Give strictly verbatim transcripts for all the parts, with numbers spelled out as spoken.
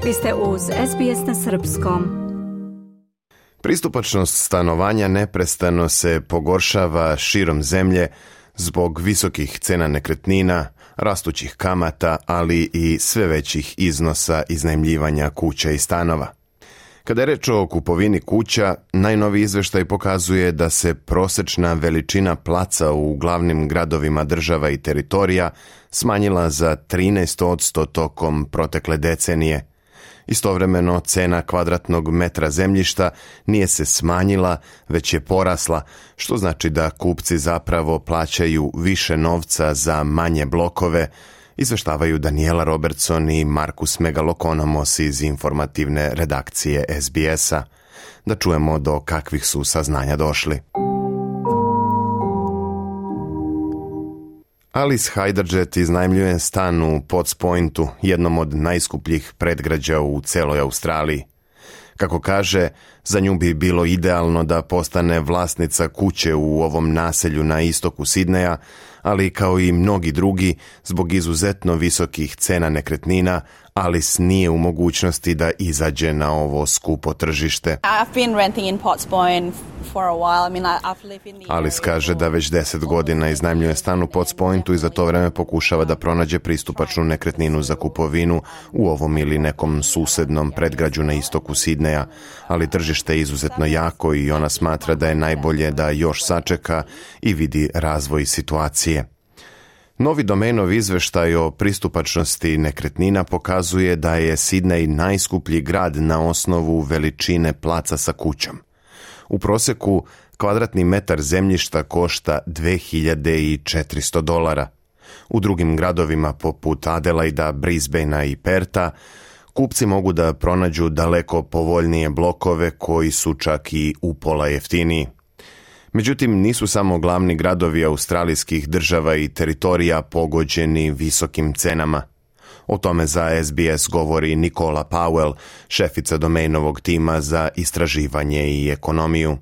Vi ste uz S B S na srpskom. Pristupačnost stanovanja neprestano se pogoršava širom zemlje zbog visokih cena nekretnina, rastućih kamata, ali i sve većih iznosa iznajmljivanja kuća i stanova. Kada je reč o kupovini kuća, najnoviji izveštaj pokazuje da se prosečna veličina placa u glavnim gradovima država i teritorija smanjila za trinaest posto tokom protekle decenije. Istovremeno, cena kvadratnog metra zemljišta nije se smanjila, već je porasla, što znači da kupci zapravo plaćaju više novca za manje blokove, izveštavaju Daniela Robertson i Markus Megalokonomos iz informativne redakcije S B S-a. Da čujemo do kakvih su saznanja došli. Alice Hajdarđet iznajmljuje stan u Potts Pointu, jednom od najskupljih predgrađa u celoj Australiji. Kako kaže, za nju bi bilo idealno da postane vlasnica kuće u ovom naselju na istoku Sidneja, ali kao i mnogi drugi, zbog izuzetno visokih cena nekretnina, Alice nije u mogućnosti da izađe na ovo skupo tržište. Alice kaže da već deset godina iznajmljuje stan u Potts Pointu i za to vreme pokušava da pronađe pristupačnu nekretninu za kupovinu u ovom ili nekom susednom predgrađu na istoku Sidneja, ali tržište je izuzetno jako i ona smatra da je najbolje da još sačeka i vidi razvoj situacije. Novi Domainov izveštaj o pristupačnosti nekretnina pokazuje da je Sidney najskuplji grad na osnovu veličine placa sa kućom. U proseku kvadratni metar zemljišta košta dve hiljade četiristo dolara. U drugim gradovima poput Adelaida, Brisbanea i Perta kupci mogu da pronađu daleko povoljnije blokove koji su čak i upola jeftiniji. Međutim, nisu samo glavni gradovi australijskih država i teritorija pogođeni visokim cenama. O tome za S B S govori Nicola Powell, šefica Domainovog tima za istraživanje i ekonomiju.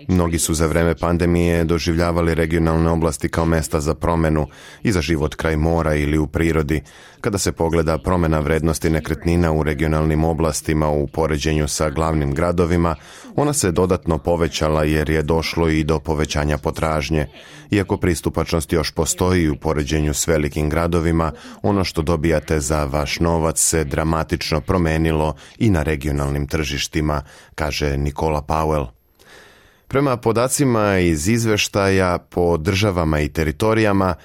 Mnogi su za vreme pandemije doživljavali regionalne oblasti kao mesta za promenu i za život kraj mora ili u prirodi. Kada se pogleda promjena vrednosti nekretnina u regionalnim oblastima u poređenju sa glavnim gradovima, ona se dodatno povećala jer je došlo i do povećanja potražnje. Iako pristupačnost još postoji u poređenju s velikim gradovima, ono što dobijate za vaš novac se dramatično promenilo i na regionalnim tržištima, kaže Nicola Powell. Prema podacima iz izveštaja po državama i teritorijama,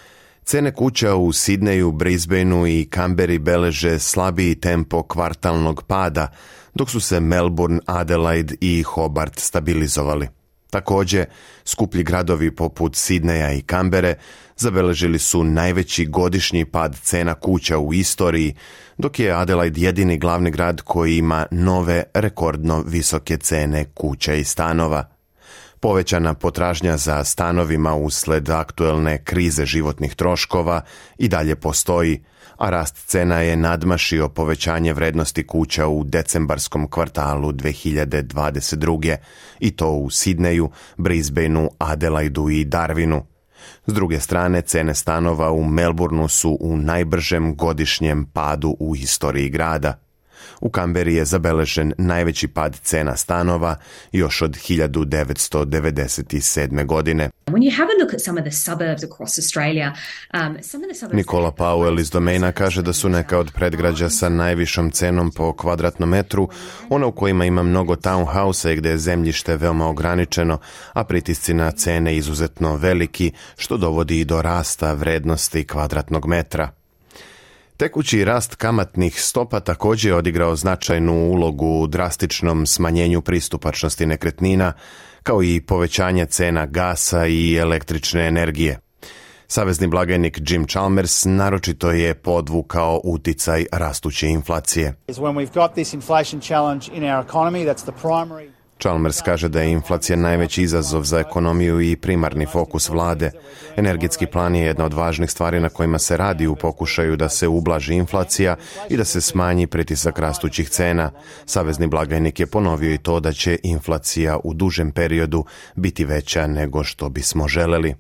cene kuća u Sidneju, Brisbaneu i Canberri beleže slabiji tempo kvartalnog pada, dok su se Melbourne, Adelaide i Hobart stabilizovali. Također, skuplji gradovi poput Sidneja i Canberre zabeležili su najveći godišnji pad cena kuća u istoriji, dok je Adelaide jedini glavni grad koji ima nove rekordno visoke cene kuća i stanova. Povećana potražnja za stanovima usled aktuelne krize životnih troškova i dalje postoji, a rast cena je nadmašio povećanje vrednosti kuća u decembarskom kvartalu dve hiljade dvadeset druge. i to u Sidneju, Brisbaneu, Adelaidu i Darwinu. S druge strane, cene stanova u Melbourneu su u najbržem godišnjem padu u istoriji grada. U Canberri je zabeležen najveći pad cena stanova još od hiljadu devetsto devedeset sedme. godine. Nicola Powell iz Domaina kaže da su neka od predgrađa sa najvišom cenom po kvadratnom metru, ona u kojima ima mnogo townhouse-a i gdje je zemljište veoma ograničeno, a pritisci na cene izuzetno veliki, što dovodi i do rasta vrednosti kvadratnog metra. Tekući rast kamatnih stopa također je odigrao značajnu ulogu u drastičnom smanjenju pristupačnosti nekretnina, kao i povećanje cena gasa i električne energije. Savezni blagajnik Jim Chalmers naročito je podvukao uticaj rastuće inflacije. Chalmers kaže da je inflacija najveći izazov za ekonomiju i primarni fokus vlade. Energetski plan je jedna od važnih stvari na kojima se radi u pokušaju da se ublaži inflacija i da se smanji pritisak rastućih cena. Savezni blagajnik je ponovio i to da će inflacija u dužem periodu biti veća nego što bismo želeli.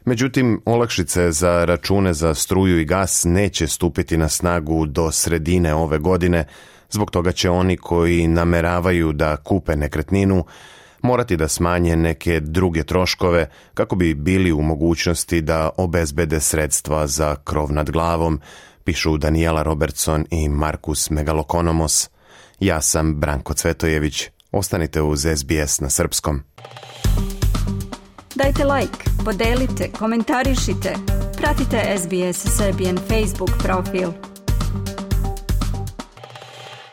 Međutim, olakšice za račune za struju i gas neće stupiti na snagu do sredine ove godine, zbog toga će oni koji nameravaju da kupe nekretninu morati da smanje neke druge troškove kako bi bili u mogućnosti da obezbede sredstva za krov nad glavom, pišu Daniela Robertson i Markus Megalokonomos. Ja sam Branko Cvetojević. Ostanite uz S B S na srpskom. Dajte like, podelite, komentarišite. Pratite S B S Serbian Facebook profil.